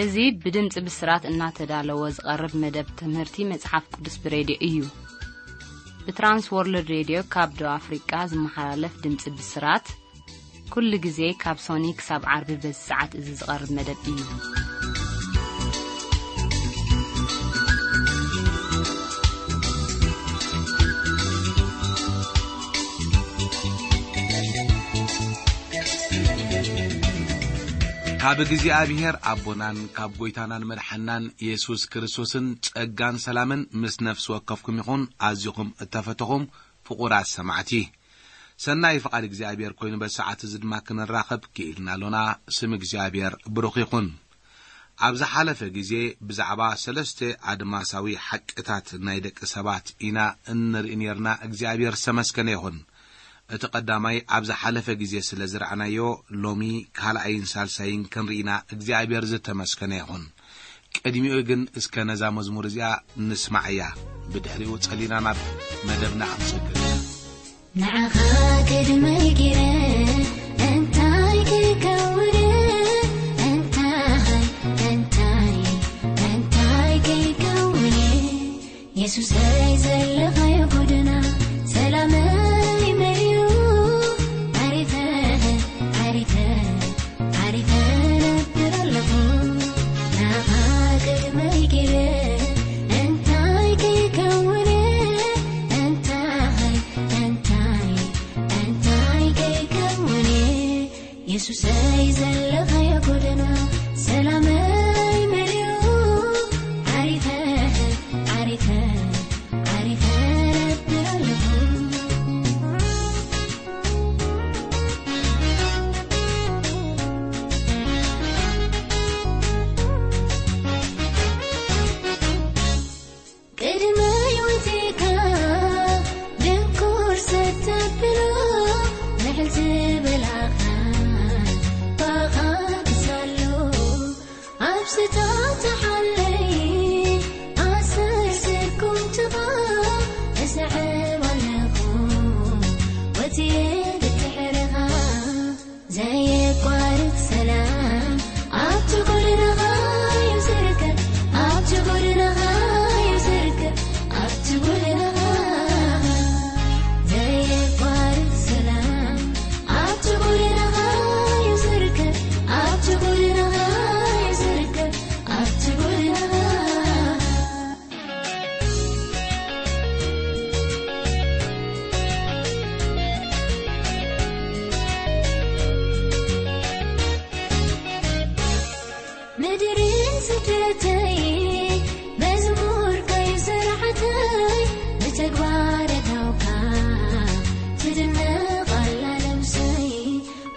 እዚ ብድምጺ ብስራት እናተዳለወ ዝቐርብ መደብ ትምህርቲ መጽሓፍ ቅዱስ ብሬድዮ እዩ። ብትራንስ ወርልድ ሬድዮ ካብ ደቡብ ኣፍሪቃ ዝመሓላለፍ ድምጺ ብስራት፣ ኩሉ ግዜ ካብ ሶኒ ክሳብ ዓርቢ በዚ ሰዓት እዚ ዝቐርብ መደብ እዩ። ካብ እግዚኣብሔር ኣቦናን ካብ ጐይታናን መድሓናን የሱስ ክርስቶስን ጸጋን ሰላምን ምስ ነፍሲ ወከፍኩም ይኹን። ኣዚኹም እተፈተኹም ፍቑራት ሰማዕቲ፣ ሰናይ ፍቓድ እግዚኣብሔር ኮይኑ በዚ ሰዓት እዚ ድማ ክንራኸብ ክኢልና ኣሎና። ስም እግዚኣብሔር ብሩኽ ይኹን። ኣብ ዝሓለፈ ግዜ ብዛዕባ ሰለስተ ኣድማሳዊ ሓቅታት ናይ ደቂ ሰባት ኢና እንርኢ ነርና። እግዚኣብሔር ዝተመስገነ ይኹን። እቲ ቀዳማይ ኣብ ዝሓለፈ ግዜ ስለ ዝረኣናዮ፣ ሎሚ ካልኣይን ሳልሳይን ክንርኢና እግዚኣብሔር ዝተመስገነ ይኹን። ቅድሚኡ ግን እስከ ነዛ መዝሙር እዚኣ ንስማዓያ። ብድሕሪኡ ጸሊና ናብ መደብና ክንሰግር ኢና። ንዓኻ ቅድመይ ገይረ እንታይ ከይከውን፣ እንታይ፣ እንታይ፣ እንታይ ከይከውን፣ የሱሰይ ዘለኻዮ ጎደና ሰላመይ መሊኡ፣ ዓሪፈ፣ ዓሪፈ፣ ዓሪፈ ነብር ኣለኹ። ንዓኻ ቅድመይ ገይረ እንታይ ከይከውን፣ እንታይ፣ እንታይ፣ እንታይ ከይከውን፣ የሱሰይ ዘለኻዮ ጎደና ሰላመይ መሊኡ፣ ዓሪፈ፣ ዓሪፈ፣ ዓሪፈ ነብር ኣለኹ። ቅድመይ ወጺእካ ድንኩር ሰተብሎ፣ ምሕል ዝበላኻ ባኻ ክሳሎ፣ ኣብ ስታተሓለይ ኣሰርሰኩም ትኻ፣ እሰዕብ ኣለኹ ወጺኤ ብድሕርኻ። ዘየቋርጽ ሰላም ኣብቲ ጎደናኻ እዩ ዝርከብ፣ ኣብቲ ጎደናኻ እዩ ዝርከብ፣ ኣብቲ ጎደናኻ። ዘየቋርጽ ሰላም ኣብቲ ጎደናኻ እዩ ዝርከብ፣ ኣብቲ ጎደናኻ እዩ ዝርከብ፣ ኣብቲ ጎደናኻ። ምድርን ስደተይ መዝሙር ከይስራሕተይ ብተግባር እታውካ ትድነቕ ኣላ ነብሰይ።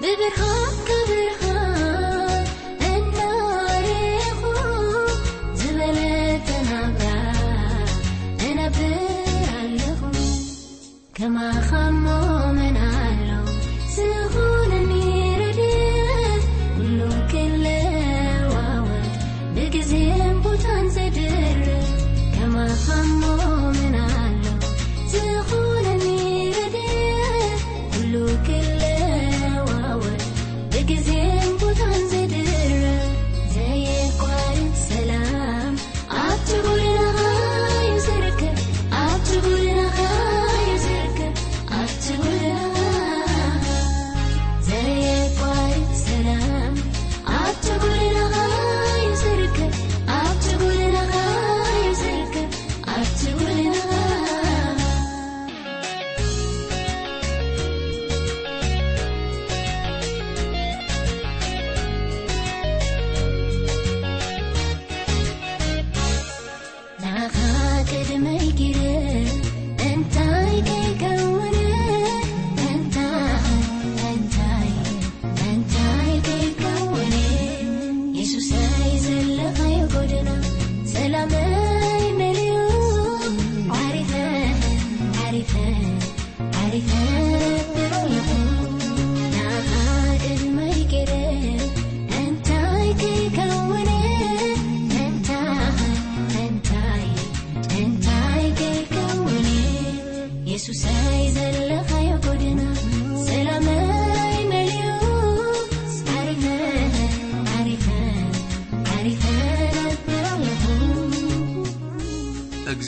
ብብርሃንካ ብርሃን እናረኹ ዝበለጸ ናብራ እነብር ኣለኹ። ከማኻ እሞ መን ኣሎ ዝኾነኒ ረድኤት፣ ኩሉ ክለዋወጥ ብግዜን ቦታን ዘድርት። ከማኻ እሞ መን ኣሎ ዝኾነኒ ረድኤት፣ ኩሉ ክለዋወጥ ብግዜ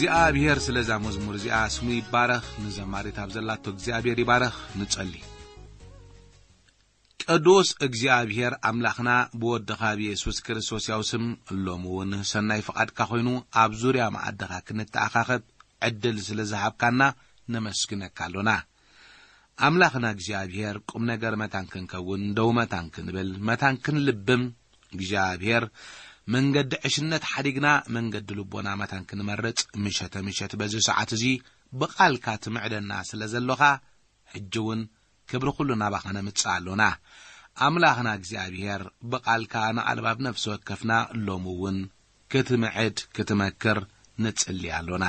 እግዚኣብሔር ስለዛ መዝሙር እዚኣ ስሙ ይባረኽ። ንዘማሪት ኣብ ዘላቶ እግዚኣብሔር ይባረኽ። ንጸሊ። ቅዱስ እግዚኣብሔር ኣምላኽና ብወድኻ ብየሱስ ክርስቶስ ያው ስም ሎሚ እውን ሰናይ ፍቓድካ ኮይኑ ኣብ ዙርያ መኣድኻ ክንተኣኻኸብ ዕድል ስለ ዝሃብካና ነመስግነካ ኣሎና። ኣምላኽና እግዚኣብሔር ቁም ነገር መታን ክንከውን ደው መታን ክንብል መታን ክንልብም እግዚኣብሔር መንገዲ ዕሽነት ሓዲግና መንገዲ ልቦና መታን ክንመርጽ ምሸተ ምሸት በዚ ሰዓት እዚ ብቓልካ ትምዕደና ስለ ዘሎኻ ሕጂ እውን ክብሪ ኩሉ ናባኻ ነምጽእ ኣሎና። ኣምላኽና እግዚኣብሔር ብቓልካ ንኣልባብ ነፍሲ ወከፍና ሎሚ እውን ክትምዕድ ክትመክር ንጽሊ ኣሎና።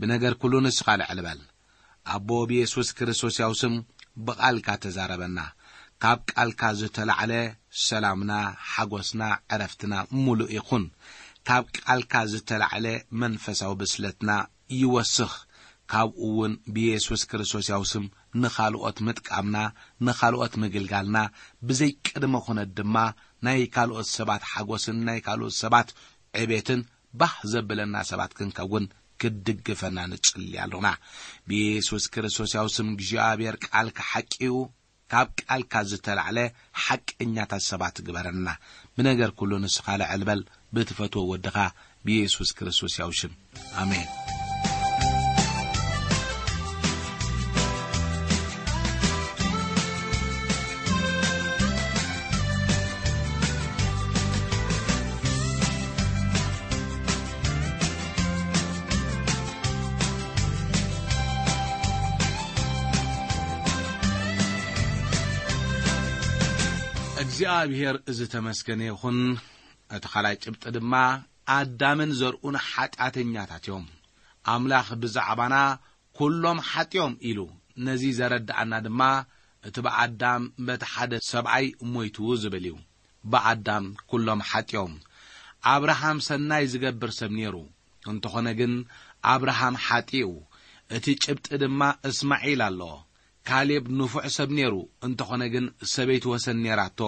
ብነገር ኩሉ ንስኻ ልዕል በል። ኣቦ ብየሱስ ክርስቶስ ያው ስም ብቓልካ ተዛረበና። ካብ ቃልካ ዝተላዕለ ሰላምና፣ ሓጎስና፣ ዕረፍትና ምሉእ ይኹን። ካብ ቃልካ ዝተላዕለ መንፈሳዊ ብስለትና ይወስኽ። ካብኡ እውን ብየሱስ ክርስቶስ ያው ስም ንኻልኦት ምጥቃምና፣ ንኻልኦት ምግልጋልና፣ ብዘይ ቅድመ ኩነት ድማ ናይ ካልኦት ሰባት ሓጎስን ናይ ካልኦት ሰባት ዕቤትን ባህ ዘብለና ሰባት ክንከውን ክትድግፈና ንጽሊ ኣሎና። ብየሱስ ክርስቶስ ያው ስም እግዚኣብሔር ቃልካ ሓቂ እዩ። ካብ ቃልካ ዝተላዕለ ሓቀኛታት ሰባት ግበረና። ብነገር ኩሉ ንስኻ ልዕል በል። ብትፈትዎ ወድኻ ብየሱስ ክርስቶስ ያው ሽም። ኣሜን። እግዚኣብሔር ዝተመስገነ ይኹን። እቲ ካልኣይ ጭብጢ ድማ ኣዳምን ዘርኡን ሓጢኣተኛታት እዮም። ኣምላኽ ብዛዕባና ኩሎም ሓጢኦም ኢሉ ነዚ ዘረድኣና ድማ እቲ ብኣዳም በቲ ሓደ ሰብኣይ ሞይቱ ዝብል እዩ። ብኣዳም ኩሎም ሓጢኦም። ኣብርሃም ሰናይ ዝገብር ሰብ ነይሩ። እንተኾነ ግን ኣብርሃም ሓጢኡ። እቲ ጭብጢ ድማ እስማዒል ኣሎ። ካሌብ ንፉዕ ሰብ ነይሩ። እንተኾነ ግን ሰበይቲ ወሰን ነይራቶ።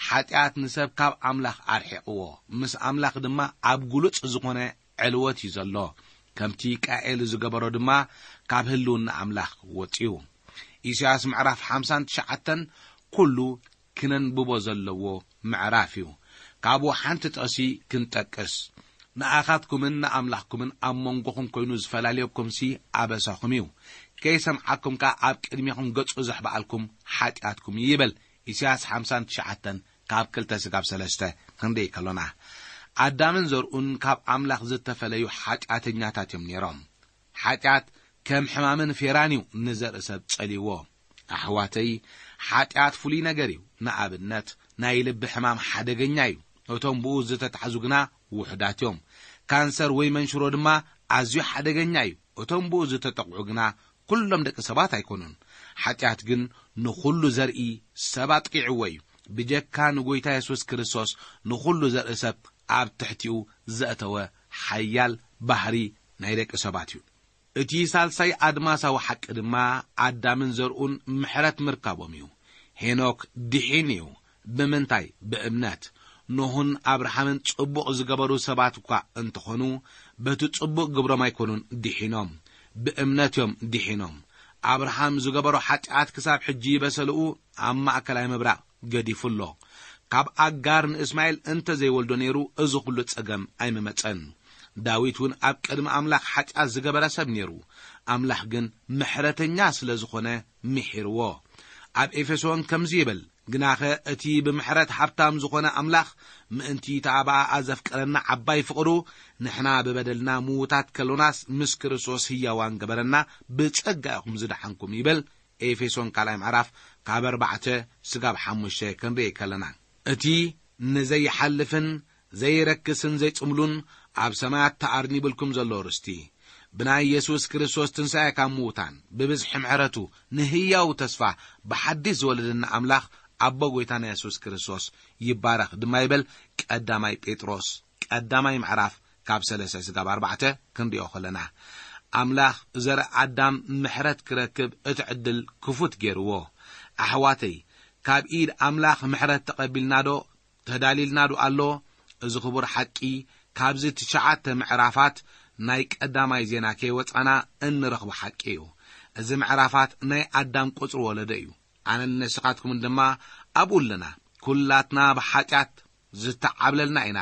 ሓጢኣት ንሰብ ካብ ኣምላኽ ኣርሒቕዎ። ምስ ኣምላኽ ድማ ኣብ ግሉጽ ዝኾነ ዕልወት እዩ ዘሎ። ከምቲ ቃኤል ዝገበሮ ድማ ካብ ህልውና ኣምላኽ ወጺኡ። ኢሳያስ ምዕራፍ ሓምሳን ትሽዓተን ኩሉ ክነንብቦ ዘለዎ ምዕራፍ እዩ። ካብኡ ሓንቲ ጥቕሲ ክንጠቅስ። ንኣኻትኩምን ንኣምላኽኩምን ኣብ መንጎኹም ኮይኑ ዝፈላልየኩምሲ ኣበሳኹም እዩ። ከይሰምዓኩም ከኣ ኣብ ቅድሜኹም ገጹ ዘሕብኣልኩም ሓጢኣትኩም እዩ ይብል። ኢሳያስ ሓምሳን ትሽዓተን ካብ ክልተ ስጋብ ሰለስተ ክንርኢ ከሎና። ኣዳምን ዘርኡን ካብ ኣምላኽ ዝተፈለዩ ሓጢኣተኛታት እዮም ነይሮም። ሓጢኣት ከም ሕማምን ፌራን እዩ ንዘርኢ ሰብ ጸልይዎ። ኣሕዋተይ፣ ሓጢኣት ፍሉይ ነገር እዩ። ንኣብነት፣ ናይ ልቢ ሕማም ሓደገኛ እዩ። እቶም ብኡ ዝተታሕዙ ግና ውሑዳት እዮም። ካንሰር ወይ መንሽሮ ድማ ኣዝዩ ሓደገኛ እዩ። እቶም ብኡ ዝተጠቕዑ ግና ኩሎም ደቂ ሰባት ኣይኮኑን። ሓጢኣት ግን ንኹሉ ዘርኢ ሰብ ኣጥቂዕዎ እዩ። ብጀካ ንጎይታ የሱስ ክርስቶስ ንኹሉ ዘርኢ ሰብ ኣብ ትሕቲኡ ዘእተወ ሓያል ባህሪ ናይ ደቂ ሰባት እዩ። እቲ ሳልሳይ ኣድማሳዊ ሓቂ ድማ ኣዳምን ዘርኡን ምሕረት ምርካቦም እዩ። ሄኖክ ድሒን እዩ። ብምንታይ? ብእምነት። ኖህን ኣብርሃምን ጽቡቕ ዝገበሩ ሰባት እኳ እንተኾኑ፣ በቲ ጽቡቕ ግብሮም ኣይኮኑን ድሒኖም፣ ብእምነት እዮም ድሒኖም። ኣብርሃም ዝገበሮ ሓጢኣት ክሳብ ሕጂ በሰልኡ ኣብ ማእከላይ ምብራቕ ገዲፉ ኣሎ። ካብ ኣጋር ንእስማኤል እንተ ዘይወልዶ ነይሩ፣ እዚ ኹሉ ጸገም ኣይምመጸን። ዳዊት እውን ኣብ ቅድሚ ኣምላኽ ሓጢኣት ዝገበረ ሰብ ነይሩ። ኣምላኽ ግን ምሕረተኛ ስለ ዝኾነ ምሒርዎ። ኣብ ኤፌሶን ከምዚ ይብል፣ "ግናኸ እቲ ብምሕረት ሃብታም ዝኾነ ኣምላኽ ምእንቲ እታ ብኣኣ ዘፍቀረና ዓባይ ፍቕሩ፣ ንሕና ብበደልና ምዉታት ከሎናስ ምስ ክርስቶስ ህያዋን ገበረና፣ ብጸጋ ኢኹም ዝደሓንኩም" ይብል። ኤፌሶን ካልኣይ ምዕራፍ ካብ ኣርባዕተ ስጋብ ሓሙሽተ ክንርኢ ከለና፣ እቲ ንዘይሓልፍን ዘይረክስን ዘይጽምሉን ኣብ ሰማያት ተኣርኒብልኩም ዘሎ ርስቲ፣ ብናይ የሱስ ክርስቶስ ትንሳኤ ካብ ምዉታን፣ ብብዝሒ ምሕረቱ ንህያው ተስፋ ብሓድሽ ዝወለደና ኣምላኽ ኣቦ ጐይታና የሱስ ክርስቶስ ይባረኽ ድማ ይበል። ቀዳማይ ጴጥሮስ ቀዳማይ ምዕራፍ ካብ ሰለስተ ስጋብ ኣርባዕተ ክንሪኦ ከለና፣ ኣምላኽ ዘርኢ ኣዳም ምሕረት ክረክብ እቲ ዕድል ክፉት ገይርዎ። ኣሕዋተይ፣ ካብ ኢድ ኣምላኽ ምሕረት ተቐቢልና ዶ ተዳሊልና ዶ ኣሎ? እዚ ክቡር ሓቂ ካብዚ ትሽዓተ ምዕራፋት ናይ ቀዳማይ ዜና ከይወጻና እንረኽቦ ሓቂ እዩ። እዚ ምዕራፋት ናይ ኣዳም ቁጽሪ ወለዶ እዩ። ኣነን ንስኻትኩምን ድማ ኣብኡ ኣለና። ኩላትና ብሓጢኣት ዝተዓብለልና ኢና።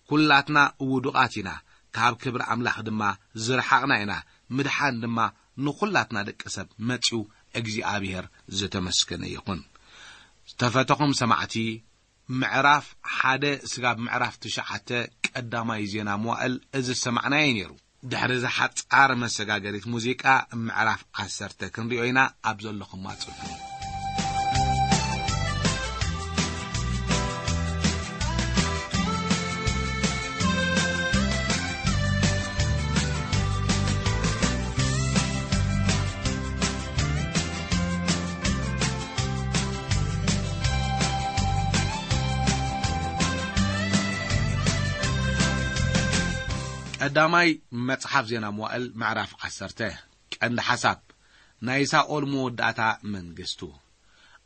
ኩላትና ውዱቓት ኢና። ካብ ክብሪ ኣምላኽ ድማ ዝረሓቕና ኢና። ምድሓን ድማ ንኹላትና ደቂ ሰብ መጺኡ እግዚኣብሔር ዝተመስገነ ይኹን። ዝተፈተኹም ሰማዕቲ፣ ምዕራፍ ሓደ ስጋብ ምዕራፍ ትሽዓተ ቀዳማይ ዜና መዋእል እዚ ዝሰማዕናዮ ነይሩ። ድሕሪ እዚ ሓጻር መሰጋገሪት ሙዚቃ ምዕራፍ ዓሰርተ ክንሪኦ ኢና። ኣብ ዘለኹም ኣጽንሑ። ቀዳማይ መጽሓፍ ዜና መዋእል ምዕራፍ ዓሰርተ። ቀንዲ ሓሳብ፣ ናይ ሳኦል መወዳእታ መንግስቱ።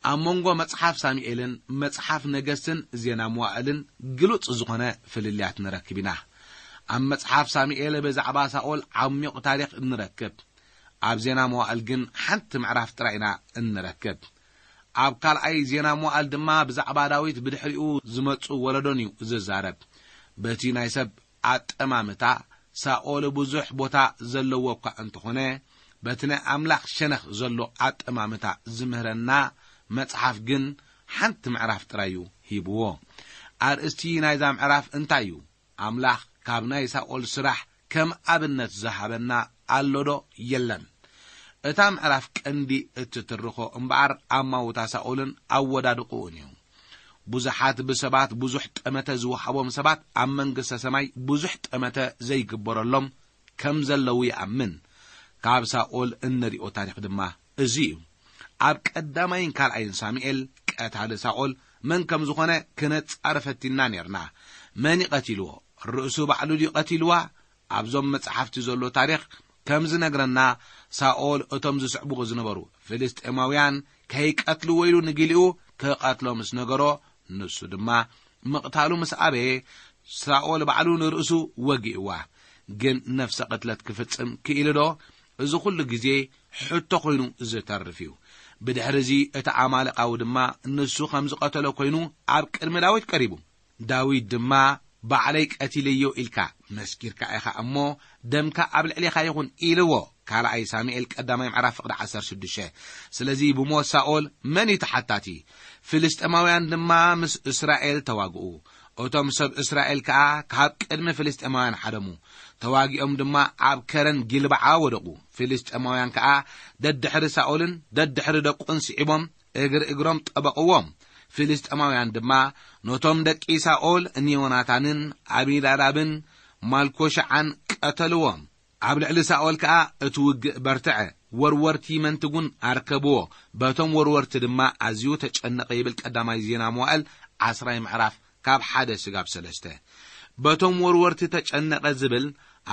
ኣብ መንጎ መጽሓፍ ሳሙኤልን መጽሓፍ ነገስትን ዜና መዋእልን ግሉጽ ዝኾነ ፍልልያት ንረክብ ኢና። ኣብ መጽሓፍ ሳሙኤል ብዛዕባ ሳኦል ዓሚቕ ታሪኽ ንረክብ። ኣብ ዜና መዋእል ግን ሓንቲ ምዕራፍ ጥራይ ኢና እንረክብ። ኣብ ካልኣይ ዜና መዋእል ድማ ብዛዕባ ዳዊት ብድሕሪኡ ዝመጹ ወለዶን እዩ ዝዛረብ። በቲ ናይ ሰብ ኣጠማምታ ሳኦል ብዙሕ ቦታ ዘለዎ እኳ እንተኾነ፣ በቲ ናይ ኣምላኽ ሸነኽ ዘሎ ኣጠማምታ ዝምህረና መጽሓፍ ግን ሓንቲ ምዕራፍ ጥራይ እዩ ሂብዎ። ኣርእስቲ ናይዛ ምዕራፍ እንታይ እዩ? ኣምላኽ ካብ ናይ ሳኦል ስራሕ ከም ኣብነት ዝሃበና ኣሎዶ የለን? እታ ምዕራፍ ቀንዲ እትትርኾ እምበኣር ኣማውታ ሳኦልን ኣወዳድቕኡን እዩ። ብዙሓት ብሰባት ብዙሕ ጠመተ ዝወሃቦም ሰባት ኣብ መንግስተ ሰማይ ብዙሕ ጠመተ ዘይግበረሎም ከም ዘለዉ ይኣምን። ካብ ሳኦል እንሪኦ ታሪኽ ድማ እዚ እዩ። ኣብ ቀዳማይን ካልኣይን ሳሙኤል ቀታሊ ሳኦል መን ከም ዝኾነ ክነጻሪ ፈቲንና ኔርና። መን እዩ ቀቲልዎ? ርእሱ ባዕሉ ድዩ ቀቲልዋ? ኣብዞም መጽሓፍቲ ዘሎ ታሪኽ ከም ዝነግረና፣ ሳኦል እቶም ዝስዕብዎ ዝነበሩ ፍልስጤማውያን ከይቀትልዎ ኢሉ ንጊሊኡ ክቐትሎ ምስ ነገሮ፣ ንሱ ድማ ምቕታሉ ምስ ኣበየ፣ ሳኦል ባዕሉ ንርእሱ ወጊእዋ። ግን ነፍሰ ቅትለት ክፍጽም ክኢሉ ዶ? እዚ ኹሉ ግዜ ሕቶ ኾይኑ ዝተርፍ እዩ። ብድሕሪ እዚ እቲ ኣማሌቃዊ ድማ ንሱ ከም ዝቐተሎ ኮይኑ ኣብ ቅድሚ ዳዊት ቀሪቡ። ዳዊት ድማ፣ "ባዕለይ ቀቲለዮ ኢልካ መስኪርካ ኢኻ እሞ፣ ደምካ ኣብ ልዕሌኻ ይኹን" ኢልዎ። ካልኣይ ሳሙኤል ቀዳማይ ምዕራፍ ፍቕዲ ዓሰርተ ሽዱሽተ። ስለዚ ብሞት ሳኦል መን እዩ ተሓታቲ? ፍልስጤማውያን ድማ ምስ እስራኤል ተዋግኡ። እቶም ሰብ እስራኤል ከኣ ካብ ቅድሚ ፍልስጤማውያን ሓደሙ። ተዋጊኦም ድማ ኣብ ከረን ጊልባዓ ወደቑ። ፍልስጤማውያን ከኣ ደድሕሪ ሳኦልን ደድሕሪ ደቁን ስዒቦም እግሪ እግሮም ጠበቕዎም። ፍልስጤማውያን ድማ ነቶም ደቂ ሳኦል ንዮናታንን ኣቢናዳብን ማልኮሻዓን ቀተልዎም። ኣብ ልዕሊ ሳኦል ከኣ እቲ ውግእ በርትዐ። ወርወርቲ መንትጉን ኣርከብዎ። በቶም ወርወርቲ ድማ ኣዝዩ ተጨነቐ ይብል ቀዳማይ ዜና መዋእል ዓስራይ ምዕራፍ ካብ ሓደ ስጋብ ሰለስተ። በቶም ወርወርቲ ተጨነቐ ዝብል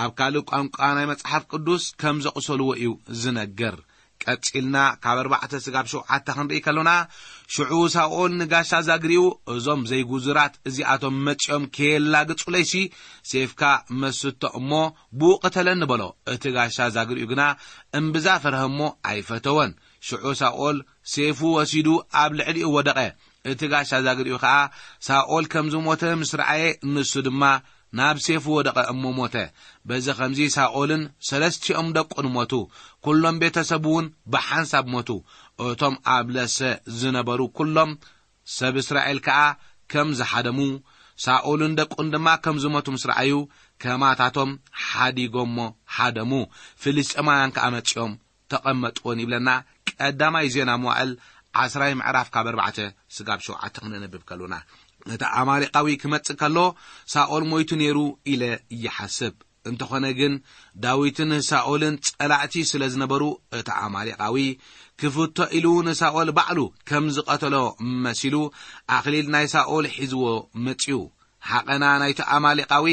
ኣብ ካልእ ቋንቋ ናይ መጽሓፍ ቅዱስ ከም ዘቑሰልዎ እዩ ዝነግር። ቀጺልና ካብ ኣርባዕተ ስጋብ ሸውዓተ ክንርኢ ከሎና፣ ሽዑ ሳኦል ንጋሻ ዛግሪኡ፣ "እዞም ዘይጉዙራት እዚኣቶም መጺኦም ከየላግጹለይሲ፣ ሴፍካ መስቶ እሞ ብኡ ቅተለኒ" በሎ። እቲ ጋሻ ዛግሪኡ ግና እምብዛ ፈርሀ እሞ ኣይፈተወን። ሽዑ ሳኦል ሴፉ ወሲዱ ኣብ ልዕሊኡ ወደቐ። እቲ ጋሻ ዛግሪኡ ኸኣ ሳኦል ከም ዝሞተ ምስ ረኣየ፣ ንሱ ድማ ናብ ሴፉ ወደቐ እሞ ሞተ። በዚ ኸምዚ ሳኦልን ሰለስቲኦም ደቁን ሞቱ። ኩሎም ቤተሰቡ እውን ብሓንሳብ ሞቱ። እቶም ኣብ ለሰ ዝነበሩ ኩሎም ሰብ እስራኤል ከኣ ከም ዝሓደሙ፣ ሳኦልን ደቁን ድማ ከም ዝሞቱ ምስ ረኣዩ፣ ከማታቶም ሓዲጎሞ ሃደሙ። ፍልስጤማውያን ከኣ መጺኦም ተቐመጥዎን ይብለና ቀዳማይ ዜና መዋእል ዓስራይ ምዕራፍ ካብ ኣርባዕተ ስጋብ ሸውዓተ ክነንብብ ከሎና። እቲ ኣማሌቃዊ ክመጽእ ከሎ ሳኦል ሞይቱ ነይሩ ኢለ ይሓስብ። እንተኾነ ግን ዳዊትን ሳኦልን ጸላእቲ ስለ ዝነበሩ፣ እቲ ኣማሌቃዊ ክፍቶ ኢሉ ንሳኦል ባዕሉ ከም ዝቐተሎ መሲሉ ኣኽሊል ናይ ሳኦል ሒዝዎ መጺኡ። ሓቐና ናይቲ ኣማሌቃዊ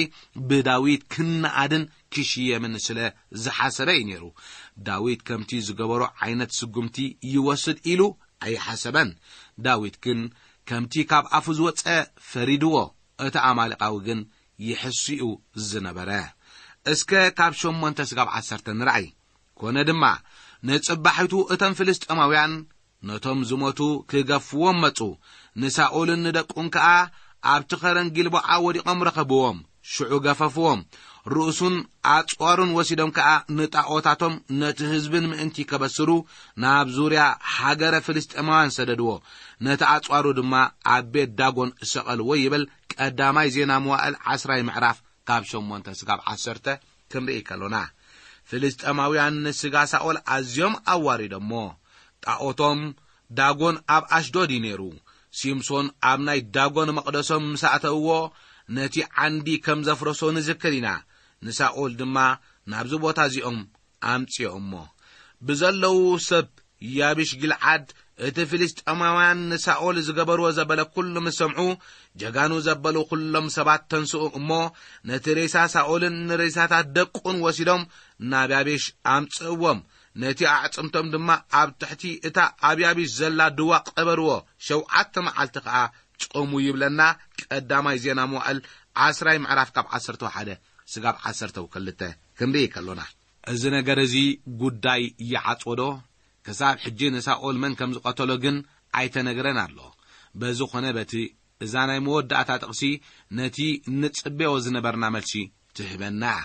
ብዳዊት ክነኣድን ክሽየምን ስለ ዝሓሰበ እዩ ነይሩ። ዳዊት ከምቲ ዝገበሮ ዓይነት ስጉምቲ ይወስድ ኢሉ ኣይሓሰበን። ዳዊት ግን ከምቲ ካብ ኣፉ ዝወጸ ፈሪድዎ። እቲ ኣማሌቃዊ ግን ይሕሱ እዩ ዝነበረ። እስከ ካብ ሸሞንተ ስጋብ ዓሰርተ ንርኣይ። ኮነ ድማ፣ ንጽባሒቱ እቶም ፍልስጤማውያን ነቶም ዝሞቱ ክገፍዎም መጹ። ንሳኦልን ንደቁን ከኣ ኣብቲ ኸረን ጊልቦዓ ወዲቖም ረኸብዎም። ሽዑ ገፈፍዎም። ርእሱን ኣጽዋሩን ወሲዶም ከኣ ንጣኦታቶም ነቲ ህዝብን ምእንቲ ከበስሩ ናብ ዙርያ ሃገረ ፍልስጤማውያን ሰደድዎ። ነቲ ኣጽዋሩ ድማ ኣብ ቤት ዳጎን ሰቐልዎ ይብል ቀዳማይ ዜና መዋእል ዓስራይ ምዕራፍ ካብ ሸሞንተ ስጋብ ዓሰርተ ክንርኢ ከሎና። ፍልስጤማውያን ንስጋ ሳኦል ኣዝዮም ኣዋሪዶሞ። ጣኦቶም ዳጎን ኣብ ኣሽዶድ እዩ ነይሩ። ሲምሶን ኣብ ናይ ዳጎን መቕደሶም ምስ ኣተውዎ፣ ነቲ ዓንዲ ከም ዘፍረሶ ንዝክር ኢና። ንሳኦል ድማ ናብዚ ቦታ እዚኦም ኣምጽኦሞ። ብዘለዉ ሰብ ያቢሽ ጊልዓድ እቲ ፍልስጤማውያን ንሳኦል ዝገበርዎ ዘበለ ኩሉ ምስ ሰምዑ፣ ጀጋኑ ዘበሉ ኩሎም ሰባት ተንስኡ እሞ፣ ነቲ ሬሳ ሳኦልን ንሬሳታት ደቁን ወሲዶም ናብ ያቢሽ ኣምጽእዎም። ነቲ ኣዕጽምቶም ድማ ኣብ ትሕቲ እታ ኣብ ያቢሽ ዘላ ድዋ ቀበርዎ። ሸውዓተ መዓልቲ ከኣ ጾሙ ይብለና። ቀዳማይ ዜና መዋእል ዓስራይ ምዕራፍ ካብ ዓሰርተ ሓደ ስጋብ ዓሰርተ ክልተ ክንርኢ ከሎና። እዚ ነገር እዚ ጉዳይ ይዓጽዎ ዶ? ክሳብ ሕጂ ንሳኦል መን ከም ዝቐተሎ ግን ኣይተነግረን ኣሎ። በዚ ኾነ በቲ፣ እዛ ናይ መወዳእታ ጥቕሲ ነቲ ንጽበዮ ዝነበርና መልሲ ትህበና እያ።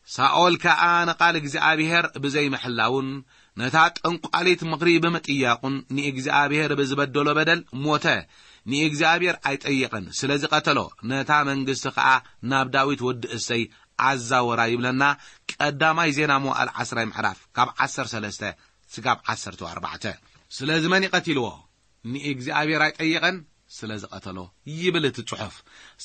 ሳኦል ከኣ ንቓል እግዚኣብሔር ብዘይምሕላውን ነታ ጠንቋሊት ምኽሪ ብምጥያቑን ንእግዚኣብሔር ብዝበደሎ በደል ሞተ። ንእግዚኣብሔር ኣይጠየቐን፣ ስለዚ ቀተሎ። ነታ መንግስቲ ከኣ ናብ ዳዊት ወዲ እሰይ ኣዛወራ ይብለና። ቀዳማይ ዜና መዋእል ዓስራይ ምዕራፍ ካብ ዓሰርተ ሰለስተ ስጋብ ዓሰርተ ኣርባዕተ። ስለዚ መን ይቐትልዎ? ንእግዚኣብሔር ኣይጠየቐን፣ ስለ ዝቐተሎ ይብል እቲ ጽሑፍ።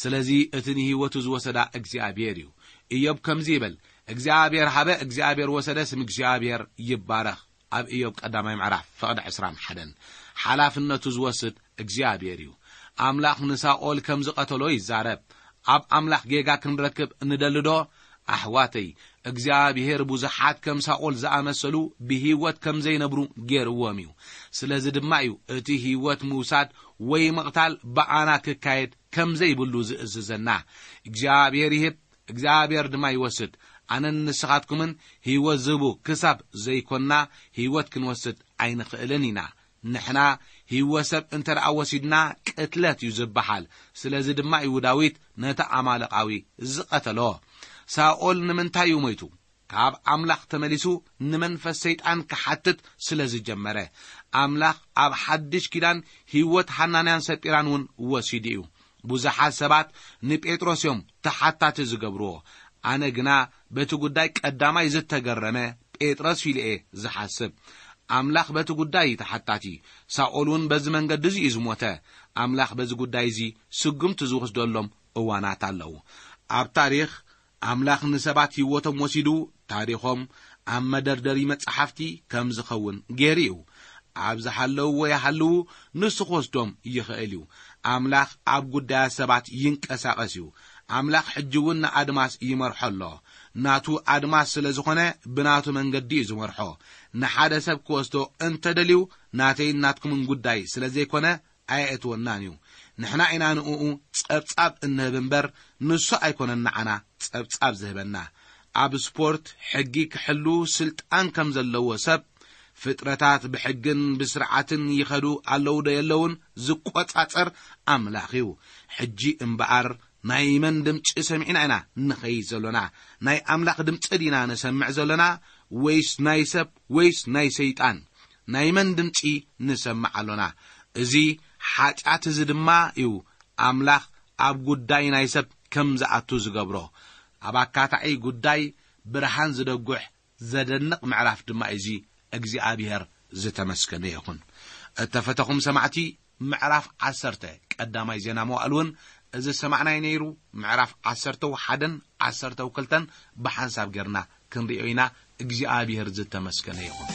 ስለዚ እቲ ንህይወቱ ዝወሰዳ እግዚኣብሔር እዩ። ኢዮብ ከምዚ ይብል፣ እግዚኣብሔር ሃበ፣ እግዚኣብሔር ወሰደ፣ ስም እግዚኣብሔር ይባረኽ። ኣብ ኢዮብ ቀዳማይ ምዕራፍ ፍቕዲ ዕስራን ሓደን። ሓላፍነቱ ዝወስድ እግዚኣብሔር እዩ። ኣምላኽ ንሳኦል ከም ዝቐተሎ ይዛረብ። ኣብ ኣምላኽ ጌጋ ክንረክብ ንደልዶ? ኣሕዋተይ፣ እግዚኣብሔር ብዙሓት ከም ሳኦል ዝኣመሰሉ ብህይወት ከም ዘይነብሩ ገይርዎም እዩ። ስለዚ ድማ እዩ እቲ ህይወት ምውሳድ ወይ ምቕታል ብኣና ክካየድ ከም ዘይብሉ ዝእዝዘና። እግዚኣብሔር ይህብ፣ እግዚኣብሔር ድማ ይወስድ። ኣነን ንስኻትኩምን ህይወት ዝህቡ ክሳብ ዘይኮንና ህይወት ክንወስድ ኣይንኽእልን ኢና። ንሕና ህይወት ሰብ እንተ ደኣ ወሲድና ቅትለት እዩ ዝበሃል። ስለዚ ድማ እዩ ዳዊት ነቲ ኣማለቃዊ ዝቐተሎ። ሳኦል ንምንታይ እዩ ሞይቱ? ካብ ኣምላኽ ተመሊሱ ንመንፈስ ሰይጣን ክሓትት ስለ ዝጀመረ። ኣምላኽ ኣብ ሓድሽ ኪዳን ህይወት ሃናንያን ሰጲራን እውን ወሲዱ እዩ። ብዙሓት ሰባት ንጴጥሮስ እዮም ተሓታቲ ዝገብርዎ። ኣነ ግና በቲ ጉዳይ ቀዳማይ ዝተገረመ ጴጥሮስ ኢሉ እየ ዝሓስብ። ኣምላኽ በቲ ጉዳይ እዩ ተሓታቲ። ሳኦል እውን በዚ መንገዲ እዚ እዩ ዝሞተ። ኣምላኽ በዚ ጉዳይ እዚ ስጉምቲ ዝወስደሎም እዋናት ኣለዉ። ኣብ ታሪኽ ኣምላኽ ንሰባት ህይወቶም ወሲዱ ታሪኾም ኣብ መደርደሪ መጻሕፍቲ ከም ዝኸውን ገይሩ እዩ። ኣብ ዝሃለውዎ ይሃልዉ፣ ንሱ ክወስዶም ይኽእል እዩ። ኣምላኽ ኣብ ጉዳያት ሰባት ይንቀሳቐስ እዩ። ኣምላኽ ሕጂ እውን ንኣድማስ ይመርሖ ኣሎ። ናቱ ኣድማስ ስለ ዝኾነ ብናቱ መንገዲ እዩ ዝመርሖ። ንሓደ ሰብ ክወስዶ እንተደልዩ ናተይን ናትኩምን ጉዳይ ስለ ዘይኮነ ኣየእትወናን እዩ። ንሕና ኢና ንእኡ ጸብጻብ እንህብ እምበር፣ ንሱ ኣይኮነን ንዓና ጸብጻብ ዝህበና። ኣብ ስፖርት ሕጊ ክሕሉ ስልጣን ከም ዘለዎ ሰብ፣ ፍጥረታት ብሕግን ብስርዓትን ይኸዱ ኣለዉ ዶ የለውን ዝቆጻጸር ኣምላኽ እዩ። ሕጂ እምበኣር ናይ መን ድምጺ ሰሚዕና ኢና ንኸይድ ዘሎና? ናይ ኣምላኽ ድምጺ ዲና ንሰምዕ ዘሎና ወይስ ናይ ሰብ ወይስ ናይ ሰይጣን? ናይ መን ድምጺ ንሰምዕ ኣሎና? እዚ ሓጢኣት እዚ ድማ እዩ ኣምላኽ ኣብ ጉዳይ ናይ ሰብ ከም ዝኣቱ ዝገብሮ። ኣብ ኣካታዒ ጉዳይ ብርሃን ዝደጉሕ ዘደንቕ ምዕራፍ ድማ እዩ። እዚ እግዚኣብሔር ዝተመስገነ ይኹን። እተፈተኹም ሰማዕቲ፣ ምዕራፍ ዓሰርተ ቀዳማይ ዜና መዋእል እውን እዚ ዝሰማዕናይ ነይሩ። ምዕራፍ ዓሰርተ ሓደን ዓሰርተ ክልተን ብሓንሳብ ጌርና ክንርእዮ ኢና። እግዚኣብሔር ዝተመስገነ ይኹን።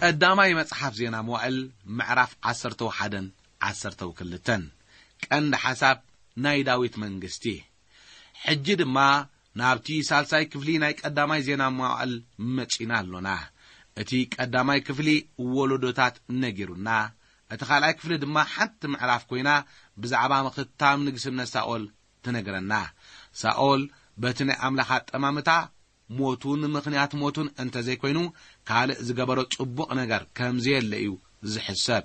ቀዳማይ መጽሓፍ ዜና መዋእል ምዕራፍ ዓሰርተው ሓደን ዓሰርተው ክልተን። ቀንዲ ሓሳብ ናይ ዳዊት መንግስቲ። ሕጂ ድማ ናብቲ ሳልሳይ ክፍሊ ናይ ቀዳማይ ዜና መዋእል መጺና ኣሎና። እቲ ቀዳማይ ክፍሊ ወለዶታት ነጊሩና፣ እቲ ካልኣይ ክፍሊ ድማ ሓንቲ ምዕራፍ ኮይና ብዛዕባ ምኽታም ንግስነት ሳኦል ትነግረና። ሳኦል በቲ ናይ ኣምላኽ ኣጠማምታ ሞቱን ምኽንያት ሞቱን እንተዘይኮይኑ ካልእ ዝገበሮ ጽቡቕ ነገር ከም ዘየለ እዩ ዝሕሰብ።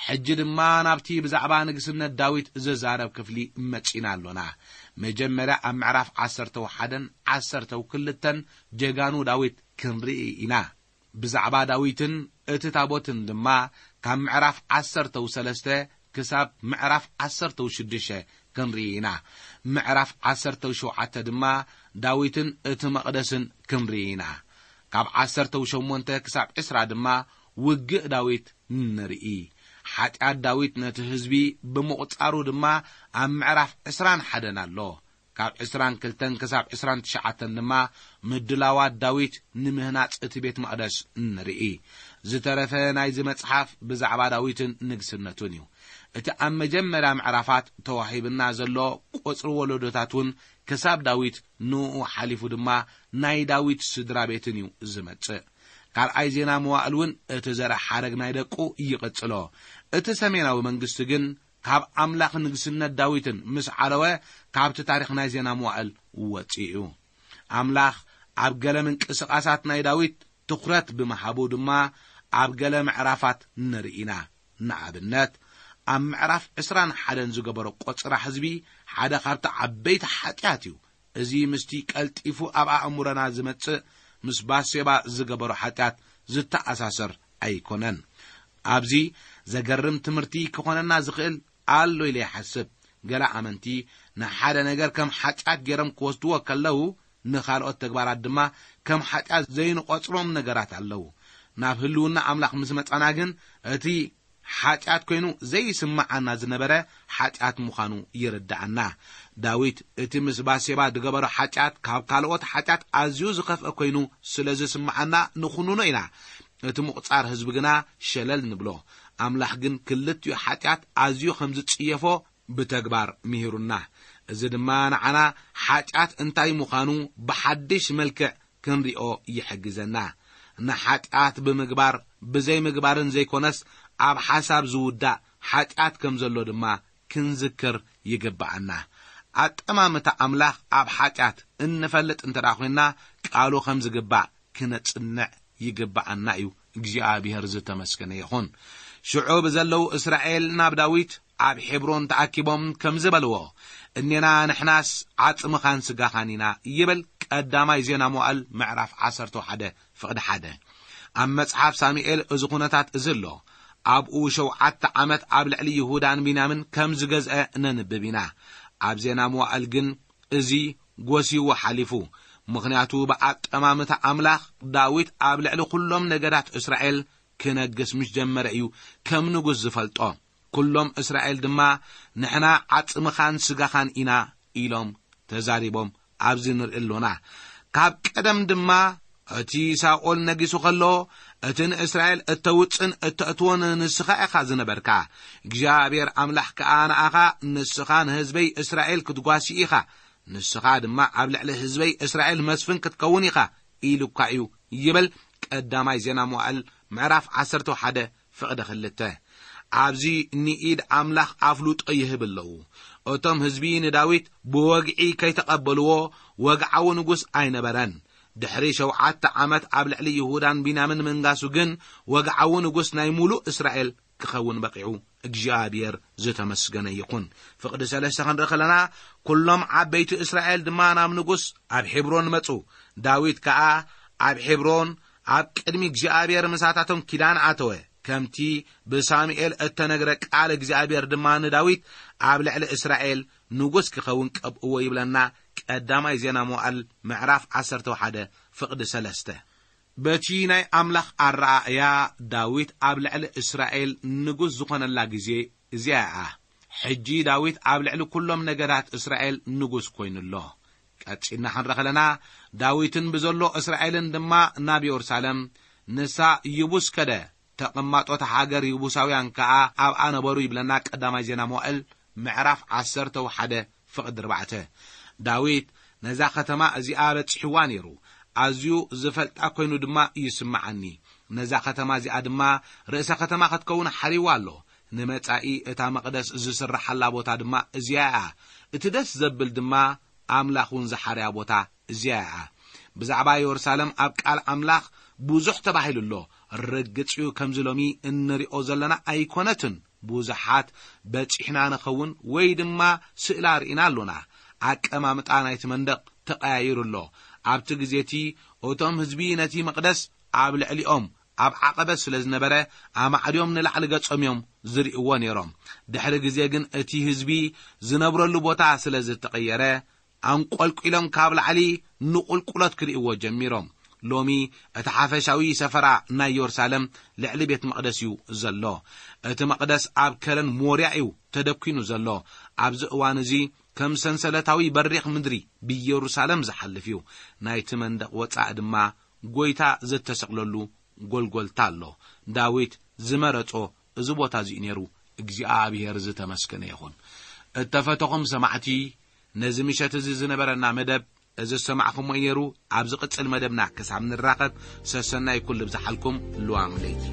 ሕጂ ድማ ናብቲ ብዛዕባ ንግስነት ዳዊት ዝዛረብ ክፍሊ መጺና ኣሎና። መጀመርያ ኣብ ምዕራፍ ዓሰርተው ሓደን ዓሰርተው ክልተን ጀጋኑ ዳዊት ክንርኢ ኢና። ብዛዕባ ዳዊትን እቲ ታቦትን ድማ ካብ ምዕራፍ ዓሰርተው ሰለስተ ክሳብ ምዕራፍ ዓሰርተው ሽዱሽተ ክንርኢ ኢና። ምዕራፍ ዓሰርተው ሸውዓተ ድማ ዳዊትን እቲ መቕደስን ክንርኢ ኢና። ካብ ዓሰርተው ሸሞንተ ክሳብ ዕስራ ድማ ውግእ ዳዊት ንርኢ። ሓጢኣት ዳዊት ነቲ ህዝቢ ብምቑጻሩ ድማ ኣብ ምዕራፍ ዕስራን ሓደን ኣሎ። ካብ ዕስራን ክልተን ክሳብ ዕስራን ትሽዓተን ድማ ምድላዋት ዳዊት ንምህናጽ እቲ ቤት መቕደስ ንርኢ። ዝተረፈ ናይዚ መጽሓፍ ብዛዕባ ዳዊትን ንግስነቱን እዩ። እቲ ኣብ መጀመርያ ምዕራፋት ተዋሂብና ዘሎ ቁጽሪ ወለዶታት እውን ክሳብ ዳዊት ንኡ ሓሊፉ ድማ ናይ ዳዊት ስድራ ቤትን እዩ ዝመጽእ። ካልኣይ ዜና መዋእል እውን እቲ ዘርኢ ሓረግ ናይ ደቁ ይቕጽሎ። እቲ ሰሜናዊ መንግስቲ ግን ካብ ኣምላኽ ንግስነት ዳዊትን ምስ ዓለወ ካብቲ ታሪኽ ናይ ዜና መዋእል ወጺኡ እዩ። ኣምላኽ ኣብ ገለ ምንቅስቓሳት ናይ ዳዊት ትኹረት ብምሃቡ ድማ ኣብ ገለ ምዕራፋት ንርኢ ኢና። ንኣብነት ኣብ ምዕራፍ ዕስራን ሓደን ዝገበሮ ቆጽራ ህዝቢ ሓደ ካብቲ ዓበይቲ ሓጢኣት እዩ። እዚ ምስቲ ቀልጢፉ ኣብ ኣእምሮና ዝመጽእ ምስ ባሴባ ዝገበሮ ሓጢኣት ዝተኣሳሰር ኣይኮነን። ኣብዚ ዘገርም ትምህርቲ ክኾነና ዝኽእል ኣሎ ኢለ ይሓስብ። ገለ ኣመንቲ ንሓደ ነገር ከም ሓጢኣት ገይሮም ክወስድዎ ከለዉ ንኻልኦት ተግባራት ድማ ከም ሓጢኣት ዘይንቖጽሮም ነገራት ኣለዉ። ናብ ህልውና ኣምላኽ ምስ መጻና ግን እቲ ሓጢኣት ኮይኑ ዘይስምዓና ዝነበረ ሓጢኣት ምዃኑ ይርድኣና። ዳዊት እቲ ምስ ባሴባ ዝገበሮ ሓጢኣት ካብ ካልኦት ሓጢኣት ኣዝዩ ዝኸፍአ ኮይኑ ስለ ዝስምዓና ንኹንኖ ኢና። እቲ ምቑጻር ህዝቢ ግና ሸለል ንብሎ። ኣምላኽ ግን ክልቲኡ ሓጢኣት ኣዝዩ ከም ዝጽየፎ ብተግባር ምሂሩና። እዚ ድማ ንዓና ሓጢኣት እንታይ ምዃኑ ብሓድሽ መልክዕ ክንሪኦ ይሕግዘና። ንሓጢኣት ብምግባር ብዘይምግባርን ዘይኮነስ ኣብ ሓሳብ ዝውዳእ ሓጢኣት ከም ዘሎ ድማ ክንዝክር ይግብኣና። ኣጠማምታ ኣምላኽ ኣብ ሓጢኣት እንፈልጥ እንተ ደኣ ኮይንና ቃሉ ከም ዝግባእ ክነጽንዕ ይግብኣና እዩ እግዚኣብሔር ዝተመስገነ ይኹን። ሽዑ ብዘለዉ እስራኤል ናብ ዳዊት ኣብ ሔብሮን ተኣኪቦም ከምዚ በልዎ፣ እኔና ንሕናስ ዓጽምኻን ስጋኻን ኢና ይብል። ቀዳማይ ዜና መዋእል ምዕራፍ ዓሰርተ ሓደ ፍቕዲ ሓደ። ኣብ መጽሓፍ ሳሙኤል እዚ ኩነታት እዚ ኣሎ። ኣብኡ ሸውዓተ ዓመት ኣብ ልዕሊ ይሁዳን ቢንያምን ከም ዝገዝአ ነንብብ ኢና። ኣብ ዜና መዋእል ግን እዚ ጎስይዎ ሓሊፉ። ምኽንያቱ ብኣጠማምታ ኣምላኽ ዳዊት ኣብ ልዕሊ ኩሎም ነገዳት እስራኤል ክነግስ ምስ ጀመረ እዩ ከም ንጉስ ዝፈልጦ። ኩሎም እስራኤል ድማ ንሕና ዓጽምኻን ስጋኻን ኢና ኢሎም ተዛሪቦም ኣብዚ ንርኢ ኣሎና። ካብ ቀደም ድማ እቲ ሳኦል ነጊሱ ከሎ እቲ ንእስራኤል እተውጽን እተእትዎን ንስኻ ኢኻ ዝነበርካ። እግዚኣብሔር ኣምላኽ ከኣ ንኣኻ ንስኻ ንህዝበይ እስራኤል ክትጓሲ ኢኻ፣ ንስኻ ድማ ኣብ ልዕሊ ህዝበይ እስራኤል መስፍን ክትከውን ኢኻ ኢሉካ እዩ ይብል። ቀዳማይ ዜና መዋእል ምዕራፍ ዓሰርተ ሓደ ፍቕዲ ክልተ። ኣብዚ ንኢድ ኣምላኽ ኣፍልጦ ይህብ ኣለዉ። እቶም ህዝቢ ንዳዊት ብወግዒ ከይተቐበልዎ ወግዓዊ ንጉስ ኣይነበረን። ድሕሪ ሸውዓተ ዓመት ኣብ ልዕሊ ይሁዳን ቢንያምን ምንጋሱ ግን ወግዓዊ ንጉስ ናይ ሙሉእ እስራኤል ክኸውን በቒዑ እግዚኣብሔር ዝተመስገነ ይኹን። ፍቕዲ ሰለስተ ክንርኢ ከለና፣ ኩሎም ዓበይቲ እስራኤል ድማ ናብ ንጉስ ኣብ ሔብሮን መጹ። ዳዊት ከኣ ኣብ ሔብሮን ኣብ ቅድሚ እግዚኣብሔር ምሳታቶም ኪዳን ኣተወ። ከምቲ ብሳሙኤል እተነግረ ቃል እግዚኣብሔር ድማ ንዳዊት ኣብ ልዕሊ እስራኤል ንጉስ ክኸውን ቀብእዎ ይብለና። ቀዳማይ ዜና መዋእል ምዕራፍ ዓሰርተ ሓደ ፍቕዲ ሰለስተ። በቲ ናይ ኣምላኽ ኣረኣእያ ዳዊት ኣብ ልዕሊ እስራኤል ንጉስ ዝኾነላ ግዜ እዚኣ እያ። ሕጂ ዳዊት ኣብ ልዕሊ ኩሎም ነገዳት እስራኤል ንጉስ ኮይኑ ኣሎ። ቀጺልና ክንርኢ ከለና፣ ዳዊትን ብዘሎ እስራኤልን ድማ ናብ የሩሳሌም፣ ንሳ ይቡስ ከደ፣ ተቐማጦት ሃገር ይቡሳውያን ከኣ ኣብኣ ነበሩ ይብለና ቀዳማይ ዜና መዋእል ምዕራፍ ዓሰርተ ሓደ ፍቕዲ ኣርባዕተ። ዳዊት ነዛ ከተማ እዚኣ በጺሕዋ ነይሩ፣ ኣዝዩ ዝፈልጣ ኮይኑ ድማ ይስምዓኒ። ነዛ ከተማ እዚኣ ድማ ርእሰ ከተማ ክትከውን ሓሪዋ ኣሎ። ንመጻኢ እታ መቕደስ ዝስርሓላ ቦታ ድማ እዚኣ እያ። እቲ ደስ ዘብል ድማ ኣምላኽ እውን ዝሓርያ ቦታ እዚኣ እያ። ብዛዕባ የሩሳሌም ኣብ ቃል ኣምላኽ ብዙሕ ተባሂሉ ኣሎ። ርግጽ እዩ፣ ከምዚ ሎሚ እንሪኦ ዘለና ኣይኮነትን። ብዙሓት በጺሕና ንኸውን ወይ ድማ ስእላ ርኢና ኣሎና። ኣቀማምጣ ናይቲ መንደቕ ተቐያይሩ ኣሎ። ኣብቲ ግዜ እቲ እቶም ህዝቢ ነቲ መቕደስ ኣብ ልዕሊኦም ኣብ ዓቐበት ስለ ዝነበረ፣ ኣማዕድዮም ንላዕሊ ገጾም እዮም ዝርእይዎ ነይሮም። ድሕሪ ግዜ ግን እቲ ህዝቢ ዝነብረሉ ቦታ ስለ ዝተቐየረ፣ ኣንቆልቂሎም ካብ ላዕሊ ንቑልቁሎት ክርእይዎ ጀሚሮም። ሎሚ እቲ ሓፈሻዊ ሰፈራ ናይ የሩሳሌም ልዕሊ ቤት መቕደስ እዩ ዘሎ። እቲ መቕደስ ኣብ ከረን ሞርያ እዩ ተደኲኑ ዘሎ። ኣብዚ እዋን እዚ ከም ሰንሰለታዊ በሪኽ ምድሪ ብየሩሳሌም ዝሓልፍ እዩ። ናይቲ መንደቕ ወጻኢ ድማ ጐይታ ዝተሰቕለሉ ጎልጎልታ ኣሎ። ዳዊት ዝመረጾ እዚ ቦታ እዚ እዩ ነይሩ። እግዚኣብሔር ዝተመስገነ ይኹን። እተፈተኹም ሰማዕቲ፣ ነዚ ምሸት እዚ ዝነበረና መደብ እዚ ዝሰማዕኹሞ እዩ ነይሩ። ኣብ ዝቕጽል መደብና ክሳብ ንራኸብ፣ ሰሰናይ ኩሉ ብዝሓልኩም ልዋም ለይቲ።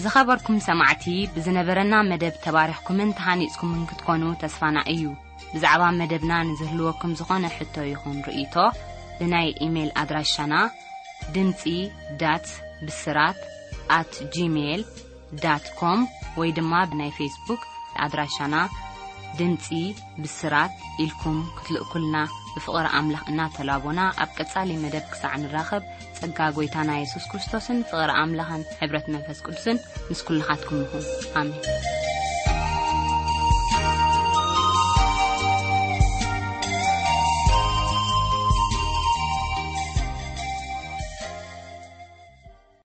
ዝኸበርኩም ሰማዕቲ፣ ብዝነበረና መደብ ተባሪኽኩምን ተሃኒጽኩምን ክትኮኑ ተስፋና እዩ። ብዛዕባ መደብና ንዝህልወኩም ዝኾነ ሕቶ ይኹን ርእይቶ፣ ብናይ ኢሜይል ኣድራሻና ድምጺ ዳት ብስራት ኣት ጂሜይል ዳት ኮም ወይ ድማ ብናይ ፌስቡክ ኣድራሻና ድምጺ ብስራት ኢልኩም ክትልእኩልና ብፍቕሪ ኣምላኽ እናተላቦና፣ ኣብ ቀጻሊ መደብ ክሳዕ ንራኸብ፣ ጸጋ ጐይታና የሱስ ክርስቶስን ፍቕሪ ኣምላኽን ሕብረት መንፈስ ቅዱስን ምስ ኩልኻትኩም ይኹን። ኣሜን።